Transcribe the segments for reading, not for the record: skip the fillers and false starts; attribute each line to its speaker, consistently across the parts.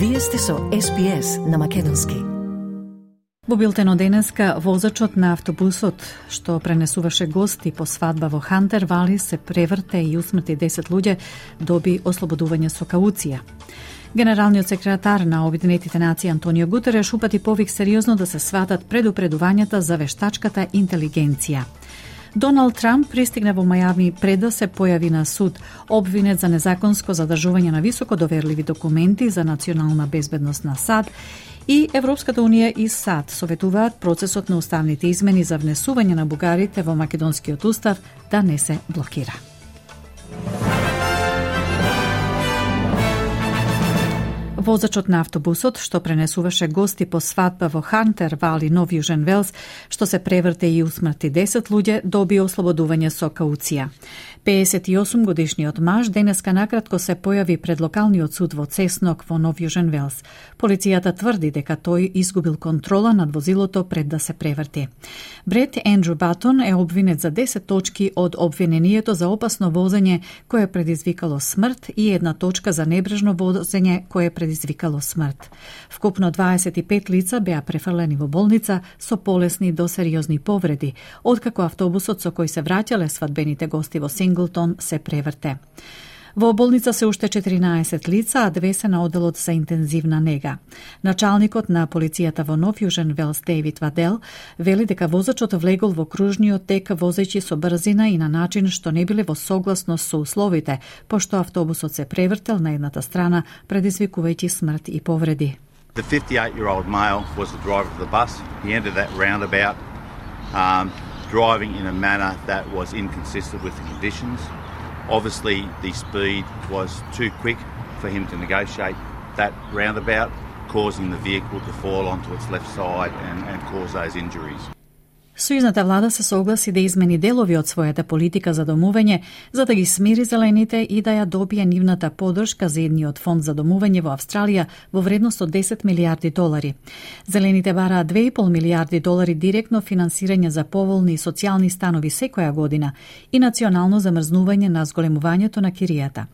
Speaker 1: Вие сте со SPS на македонски.
Speaker 2: Во билтено денеска, возачот на автобусот што пренесуваше гости по свадба во Хантер Вали се преврте и усмрти 10 луѓе, доби ослободување со кауција. Генералниот секретар на Обединетите нации Антонио Гутереш упати повик сериозно да се сватат предупредувањата за вештачката интелигенција. Доналд Трамп пристигна во Мајами пред да се појави на суд, обвинет за незаконско задржување на високо доверливи документи за национална безбедност на САД, и Европската унија и САД советуваат процесот на уставните измени за внесување на бугарите во македонскиот устав да не се блокира. Возачот на автобусот што пренесуваше гости по свадба во Хантер Вали, Нов Јужен Велс, што се преврте и усмрти 10 луѓе, доби ослободување со кауција. 58 годишниот маж денеска накратко се појави пред локалниот суд во Цеснок во Нов Јужен Велс. Полицијата тврди дека тој изгубил контрола над возилото пред да се преврти. Брет Ендрю Батон е обвинет за 10 точки од обвинението за опасно возење кое предизвикало смрт и 1 точка за небрежно возење кое предизвикало смрт. Вкупно 25 лица беа префрлени во болница со полесни до сериозни повреди, откако автобусот со кој се враќале свадбените гости во Синглтон се преврте. Во болница се уште 14 лица, а 2 се на оделот за интензивна нега. Началникот на полицијата во Нов Јужен Велс, Дейвид Вадел, вели дека возачот влегол во кружниот тек возејќи со брзина и на начин што не биле во согласност со условите, пошто автобусот се превртел на едната страна, предизвикувајќи смрт и повреди.
Speaker 3: The 58-year-old male was the driver of the bus. He entered that roundabout driving in a manner that was inconsistent with the conditions. Obviously, the speed was too quick for him to negotiate that roundabout, causing the vehicle to fall onto its left side and cause those injuries.
Speaker 2: Сојузната влада се согласи да измени делови од својата политика за домување, за да ги смири зелените и да ја добие нивната поддршка за едниот фонд за домување во Австралија во вредност од 10 милиарди долари. Зелените бараат 2,5 милиарди долари директно финансирање за поволни социјални станови секоја година и национално замрзнување на зголемувањето на киријата.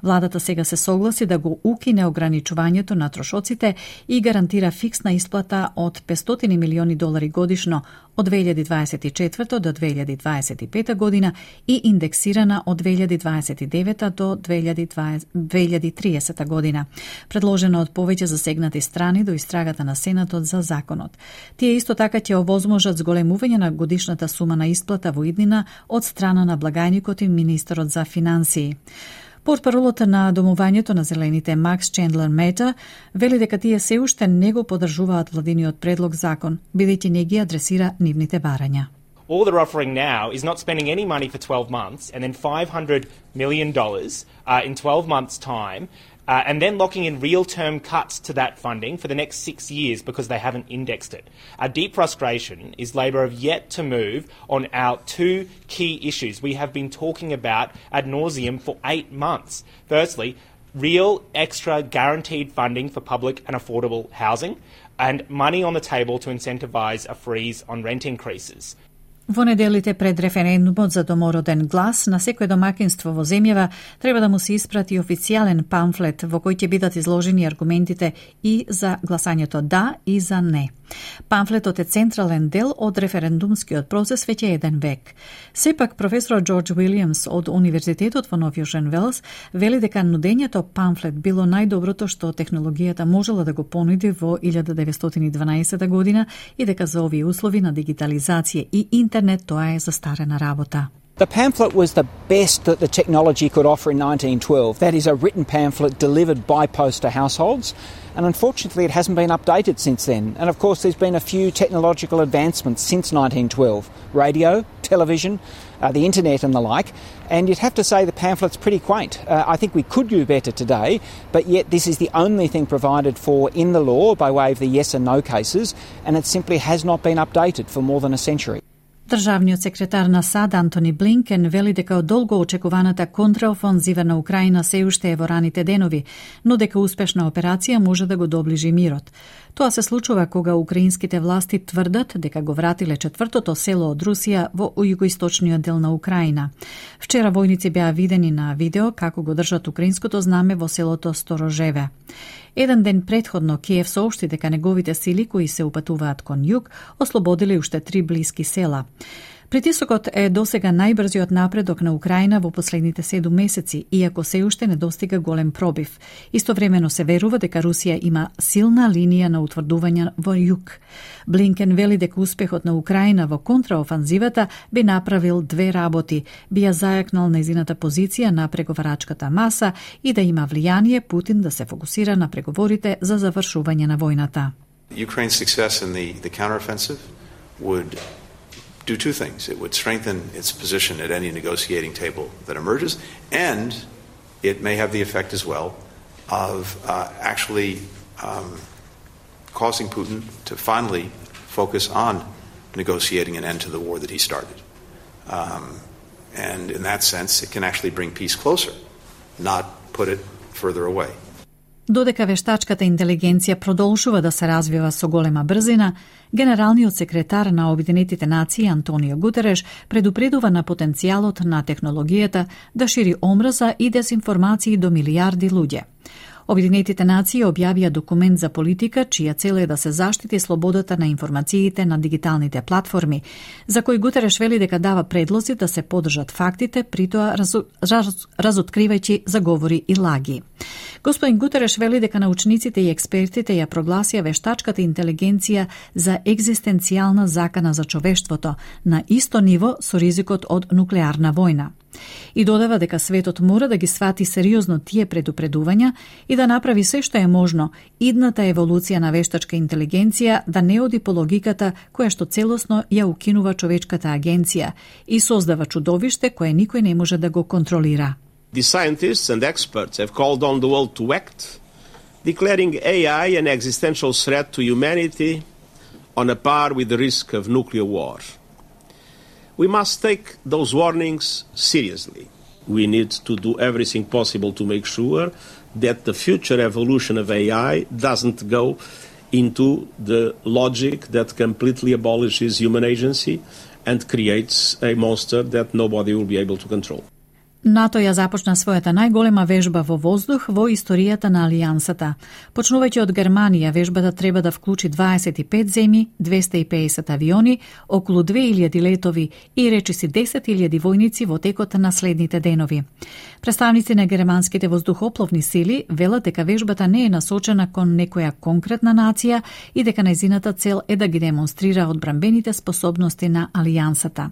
Speaker 2: Владата сега се согласи да го укине ограничувањето на трошоците и гарантира фиксна исплата од 500 милиони долари годишно од 2024 до 2025 година и индексирана од 2029 до 2030 година, предложена од повеќе засегнати страни до истрагата на Сенатот за законот. Тие исто така ќе овозможат зголемување на годишната сума на исплата во иднина од страна на благајникот и министерот за финансии. Портпаролот на домувањето на зелените Макс Чендлер Мета вели дека тие се уште не го поддржуваат владиниот предлог закон, бидејќи не ги адресира нивните барања.
Speaker 4: All they're offering now is not spending any money for 12 months and then $500 million in 12 months' time, and then locking in real-term cuts to that funding for the next 6 years because they haven't indexed it. Our deep frustration is Labor have yet to move on our 2 key issues we have been talking about ad nauseum for 8 months. Firstly, real extra guaranteed funding for public and affordable housing and money on the table to incentivise a freeze on rent increases.
Speaker 2: Во неделите пред референдумот за домороден глас, на секој домакинство во земјава треба да му се испрати официјален памфлет во кој ќе бидат изложени аргументите и за гласањето да и за не. Памфлетот е централен дел од референдумскиот процес веќе еден век. Сепак, професорот Џорџ Уилијамс од Универзитетот во Нов Јужен Велс вели дека нудењето памфлет било најдоброто што технологијата можела да го понуди во 1912 година и дека за овие услови на дигитализација и интернет тоа е застарена работа.
Speaker 5: The pamphlet was the best that the technology could offer in 1912. That is a written pamphlet delivered by post to households. And unfortunately, it hasn't been updated since then. And of course, there's been a few technological advancements since 1912. Radio, television, the internet and the like. And you'd have to say the pamphlet's pretty quaint. I think we could do better today, but yet this is the only thing provided for in the law by way of the yes and no cases, and it simply has not been updated for more than a century.
Speaker 2: Државниот секретар на САД Антони Блинкен вели дека долго очекуваната контраофанзива на Украина се уште е во раните денови, но дека успешна операција може да го доближи мирот. Тоа се случува кога украинските власти тврдат дека го вратиле четвртото село од Русија во југоисточниот дел на Украина. Вчера војници беа видени на видео како го држат украинското знаме во селото Сторожеве. Еден ден претходно Киев соопшти дека неговите сили кои се упатуваат кон југ ослободиле уште 3 блиски села. Притисокот е досега најбрзиот напредок на Украина во последните 7 месеци, иако се уште не достига голем пробив. Истовремено се верува дека Русија има силна линија на утврдување во југ. Блинкен вели дека успехот на Украина во контраофанзивата би направил две работи, би ја зајакнал нејзината позиција на преговарачката маса и да има влијание Путин да се фокусира на преговорите за завршување на војната.
Speaker 6: Ukraine's success in the counteroffensive would do two things. It would strengthen its position at any negotiating table that emerges, and it may have the effect as well of actually causing Putin to finally focus on negotiating an end to the war that he started. And in that sense, it can actually bring peace closer, not put it further away.
Speaker 2: Додека вештачката интелигенција продолжува да се развива со голема брзина, генералниот секретар на Обединетите нации Антонио Гутереш предупредува на потенцијалот на технологијата да шири омраза и дезинформации до милијарди луѓе. Обединетите нации објавија документ за политика, чија цел е да се заштити слободата на информациите на дигиталните платформи, за кој Гутереш вели дека дава предлози да се подржат фактите, притоа разоткривајќи заговори и лаги. Господин Гутереш вели дека научниците и експертите ја прогласија вештачката интелигенција за екзистенцијална закана за човештвото, на исто ниво со ризикот од нуклеарна војна. И додава дека светот мора да ги свати сериозно тие предупредувања и да направи се што е можно идната еволуција на вештачка интелигенција да не оди по логиката која што целосно ја укинува човечката агенција и создава чудовиште кое никој не може да го контролира.
Speaker 7: The scientists and experts have called on the world to act, declaring AI an existential threat to humanity on a par with the risk of nuclear war. We must take those warnings seriously. We need to do everything possible to make sure that the future evolution of AI doesn't go into the logic that completely abolishes human agency and creates a monster that nobody will be able to control.
Speaker 2: НАТО ја започна својата најголема вежба во воздух во историјата на Алијансата. Почнувајќи од Германија, вежбата треба да вклучи 25 земји, 250 авиони, околу 2000 летови и речиси 10.000 војници во текот на следните денови. Представници на германските воздухопловни сили велат дека вежбата не е насочена кон некоја конкретна нација и дека нејзината цел е да ги демонстрира одбранбените способности на Алијансата.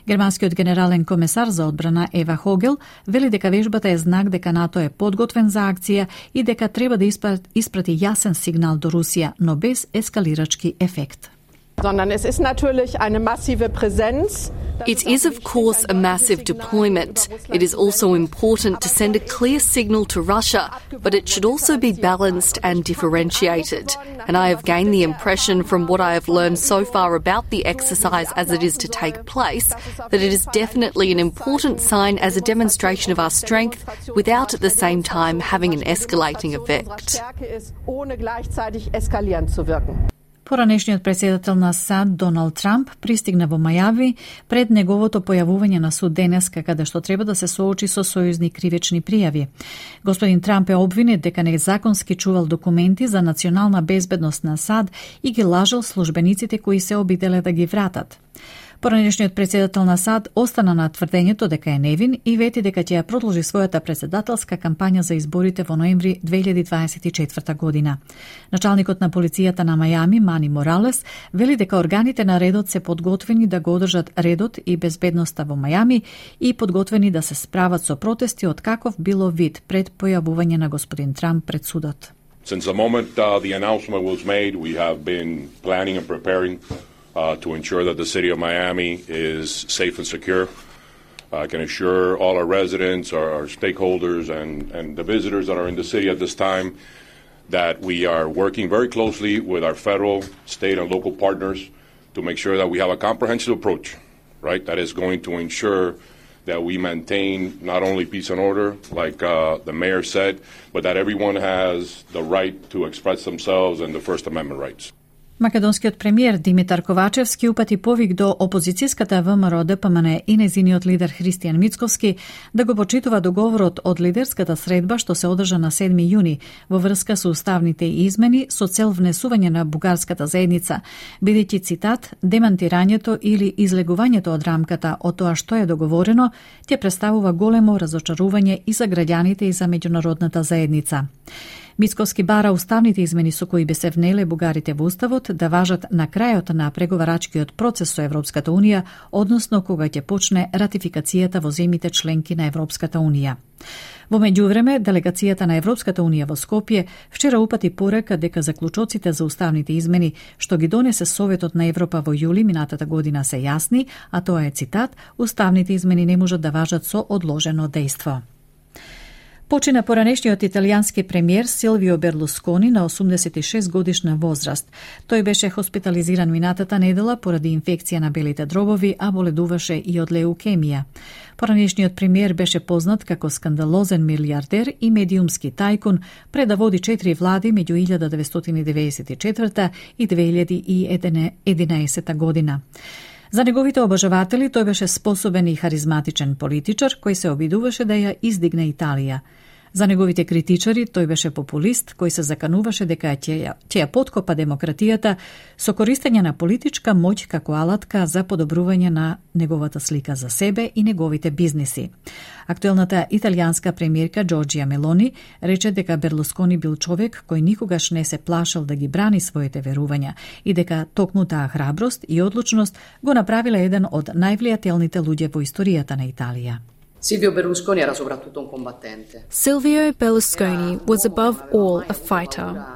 Speaker 2: Германскиот генерален комесар за одбрана Ева Хогел вели дека вежбата е знак дека НАТО е подготвен за акција и дека треба да испрати јасен сигнал до Русија, но без ескалирачки ефект.
Speaker 8: It is, of course, a massive deployment. It is also important to send a clear signal to Russia, but it should also be balanced and differentiated. And I have gained the impression from what I have learned so far about the exercise as it is to take place, that it is definitely an important sign as a demonstration of our strength without at the same time having an escalating effect.
Speaker 2: Поранешниот председател на САД Доналд Трамп пристигна во Мајами пред неговото појавување на суд денеска, каде што треба да се соочи со сојузни кривични пријави. Господин Трамп е обвинет дека незаконски чувал документи за национална безбедност на САД и ги лажал службениците кои се обиделе да ги вратат. Поранешниот председател на САД остана на тврдењето дека е невин и вети дека ќе ја продолжи својата председателска кампања за изборите во ноември 2024 година. Началникот на полицијата на Мајами, Мани Моралес, вели дека органите на редот се подготвени да го одржат редот и безбедноста во Мајами и подготвени да се справат со протести од каков било вид пред појавување на господин Трамп пред судот.
Speaker 9: Since the moment the announcement was made, we have been planning and preparing to ensure that the city of Miami is safe and secure. I can assure all our residents, our stakeholders, and the visitors that are in the city at this time that we are working very closely with our federal, state, and local partners to make sure that we have a comprehensive approach, right, that is going to ensure that we maintain not only peace and order, like the mayor said, but that everyone has the right to express themselves and the First Amendment rights.
Speaker 2: Македонскиот премиер Димитар Ковачевски упати повик до опозицијската ВМРО ДПМН и незиниот лидер Христијан Мицковски да го почитува договорот од лидерската средба што се одржа на 7 јуни во врска со уставните измени со цел внесување на бугарската заедница, бидејќи цитат, демантирањето или излегувањето од рамката од тоа што е договорено, ќе представува големо разочарување и за граѓаните и за меѓународната заедница. Мицковски бара уставните измени со кои би се внеле бугарите во уставот да важат на крајот на преговарачкиот процес со Европската унија, односно кога ќе почне ратификацијата во земјите членки на Европската унија. Во меѓувреме, делегацијата на Европската унија во Скопје вчера упати порека дека заклучоците за уставните измени што ги донесе Советот на Европа во јули минатата година се јасни, а тоа е цитат, уставните измени не можат да важат со одложено дејство. Почина поранешниот италијански премиер Силвио Берлускони на 86 годишна возраст. Тој беше хоспитализиран минатата недела поради инфекција на белите дробови, а боледуваше и од леукемија. Поранешниот премиер беше познат како скандалозен милиардер и медиумски тајкун, пред да води 4 влади меѓу 1994 и 2011 година. За неговите обожаватели тој беше способен и харизматичен политичар кој се обидуваше да ја издигне Италија. За неговите критичари тој беше популист кој се закануваше дека ќе ја поткопа демократијата со користење на политичка моќ како алатка за подобрување на неговата слика за себе и неговите бизниси. Актуелната италијанска премиерка Джорџија Мелони рече дека Берлускони бил човек кој никогаш не се плашал да ги брани своите верувања и дека токму таа храброст и одлучност го направила еден од највлијателните луѓе во историјата на Италија.
Speaker 10: Silvio Berlusconi era soprattutto un combattente.
Speaker 11: Silvio Berlusconi was above all a fighter.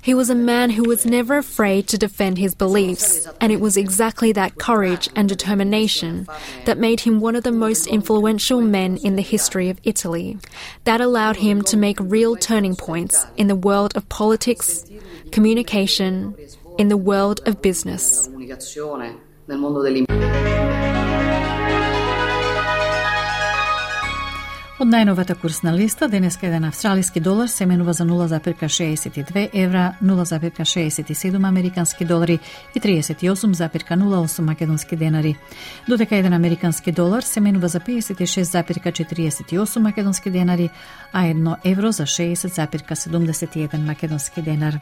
Speaker 11: He was a man who was never afraid to defend his beliefs, and it was exactly that courage and determination that made him one of the most influential men in the history of Italy. That allowed him to make real turning points in the world of politics, communication, in the world of business.
Speaker 2: Од најновата курсна листа, денеска еден австралиски долар се менува за 0,62 евра, 0,67 американски долари и 38,08 македонски денари. Додека еден американски долар се менува за 56,48 македонски денари, а 1 евро за 60,71 македонски денар.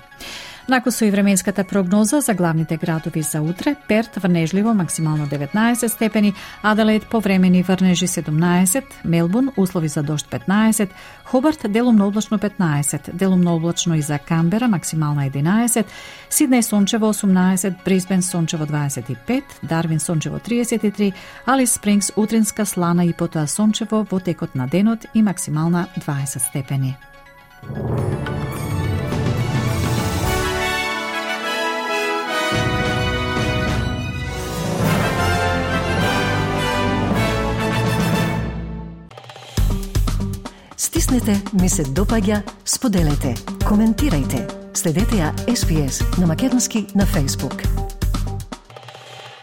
Speaker 2: Накусо и временската прогноза за главните градови за утре: Перт врнежливо максимално 19 степени, Аделаид повремени врнежи 17, Мелбурн услови за дожд 15, Хобарт делумно облачно 15, делумно облачно и за Камбера максимално 11, Сиднеј сончево 18, Брисбен сончево 25, Дарвин сончево 33, Алис Спрингс утринска слана и потоа сончево во текот на денот и максимална 20 степени.
Speaker 1: Стиснете, ми се допаѓа, споделете, коментирајте. Следете ја SPS на Македонски на Facebook.